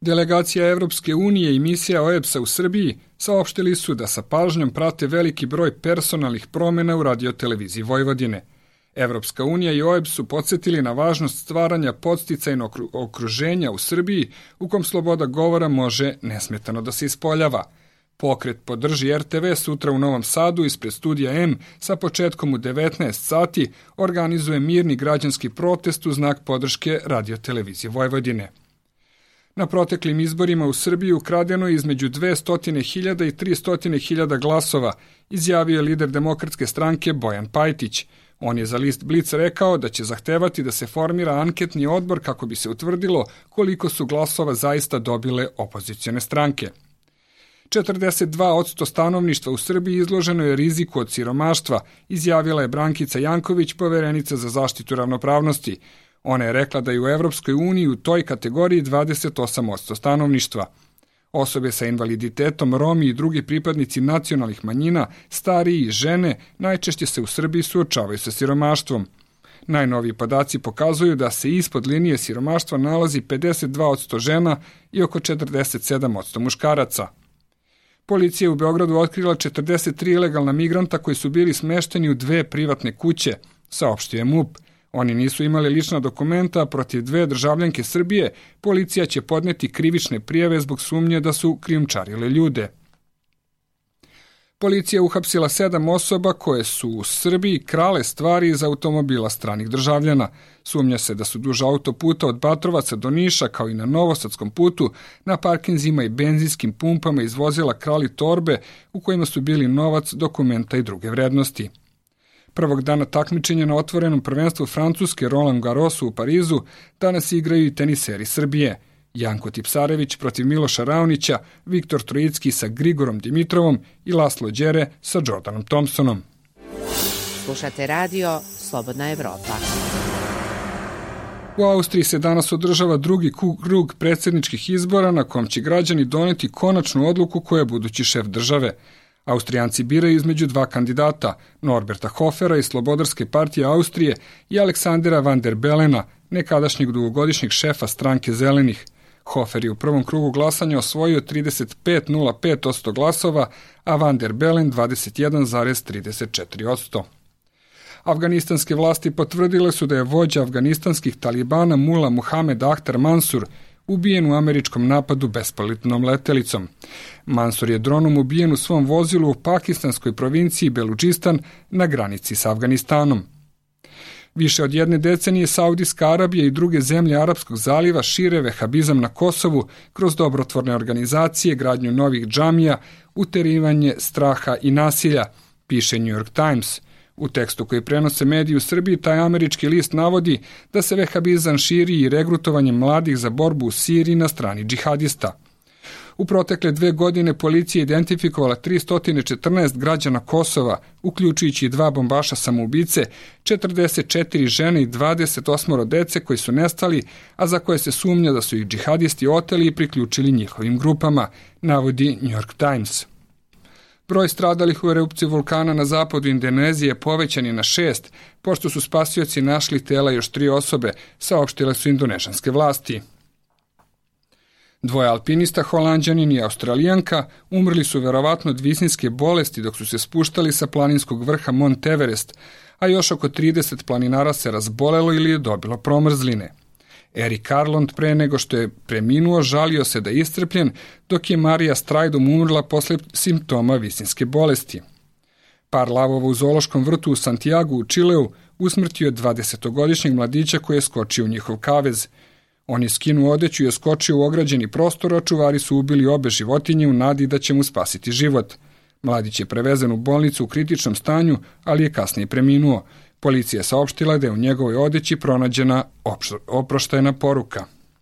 Delegacija Evropske unije i misija OEBS-a u Srbiji saopštili su da sa pažnjom prate veliki broj personalnih promjena u radioteleviziji Vojvodine. Evropska unija i OEBS su podsjetili na važnost stvaranja podsticajnog okruženja u Srbiji u kom sloboda govora može nesmetano da se ispoljava. Pokret Podrži RTV sutra u Novom Sadu ispred studija M sa početkom u 19 sati organizuje mirni građanski protest u znak podrške radiotelevizije Vojvodine. Na proteklim izborima u Srbiji ukradeno je između 200.000 i 300.000 glasova, izjavio je lider Demokratske stranke Bojan Pajtić. On je za list Blic rekao da će zahtevati da se formira anketni odbor kako bi se utvrdilo koliko su glasova zaista dobile opozicione stranke. 42% stanovništva u Srbiji izloženo je riziku od siromaštva, izjavila je Brankica Janković, poverenica za zaštitu ravnopravnosti. Ona je rekla da je u Evropskoj uniji u toj kategoriji 28% stanovništva. Osobe sa invaliditetom, Romi i drugi pripadnici nacionalnih manjina, stariji i žene najčešće se u Srbiji suočavaju sa siromaštvom. Najnoviji podaci pokazuju da se ispod linije siromaštva nalazi 52% žena i oko 47% muškaraca. Policija je u Beogradu otkrila 43 ilegalna migranta koji su bili smešteni u 2 privatne kuće, saopštio je MUP. Oni nisu imali lična dokumenta, a protiv 2 državljanke Srbije policija će podneti krivične prijave zbog sumnje da su krijumčarile ljude. Policija uhapsila 7 osoba koje su u Srbiji krale stvari iz automobila stranih državljana. Sumnja se da su duž autoputa od Batrovaca do Niša, kao i na Novosadskom putu, na parkinzima i benzinskim pumpama izvozila krali torbe u kojima su bili novac, dokumenta i druge vrednosti. Prvog dana takmičenja na otvorenom prvenstvu Francuske Roland Garrosu u Parizu danas igraju i teniseri Srbije. Janko Tipsarević protiv Miloša Raonića, Viktor Trojicki sa Grigorom Dimitrovom i Laslo Đere sa Jordanom Thompsonom. Slušate radio Slobodna Evropa. U Austriji se danas održava drugi krug predsjedničkih izbora na kom će građani doneti konačnu odluku ko je budući šef države. Austrijanci biraju između 2 kandidata, Norberta Hofera iz Slobodarske partije Austrije i Aleksandera van der Belena, nekadašnjeg dugogodišnjeg šefa stranke Zelenih. Hofer je u prvom krugu glasanja osvojio 35,05% glasova, a van der Bellen 21,34%. Afganistanske vlasti potvrdile su da je vođa afganistanskih talibana Mula Muhamed Ahtar Mansur ubijen u američkom napadu bespilotnom letelicom. Mansur je dronom ubijen u svom vozilu u pakistanskoj provinciji Beludžistan na granici sa Afganistanom. Više od 1 decenije Saudijska Arabija i druge zemlje Arapskog zaliva šire vehabizam na Kosovu kroz dobrotvorne organizacije, gradnju novih džamija, uterivanje straha i nasilja, piše New York Times. U tekstu koji prenose mediji u Srbiji, taj američki list navodi da se vehabizam širi i regrutovanjem mladih za borbu u Siriji na strani džihadista. U protekle 2 godine policija identifikovala 314 građana Kosova, uključujući i 2 bombaša samoubice, 44 žene i 28 dece koji su nestali, a za koje se sumnja da su ih džihadisti oteli i priključili njihovim grupama, navodi New York Times. Broj stradalih u erupciji vulkana na zapadu Indonezije povećan je na 6, pošto su spasioci našli tela još 3 osobe, saopštile su indonežanske vlasti. 2 alpinista, Holanđanin i Australijanka, umrli su verovatno od visinske bolesti dok su se spuštali sa planinskog vrha Mont Everest, a još oko 30 planinara se razbolelo ili je dobilo promrzline. Erik Arlond pre nego što je preminuo žalio se da je iscrpljen, dok je Marija Strajdom umrla posle simptoma visinske bolesti. Par lavova u zoološkom vrtu u Santiagu u Čileu usmrtio je 20-godišnjeg mladića koji je skočio u njihov kavez. On je skinuo odeću i skočio u ograđeni prostor, a čuvari su ubili obe životinje u nadi da će mu spasiti život. Mladić je prevezen u bolnicu u kritičnom stanju, ali je kasnije preminuo. Policija je saopštila da je u njegovoj odeći pronađena oproštajna poruka.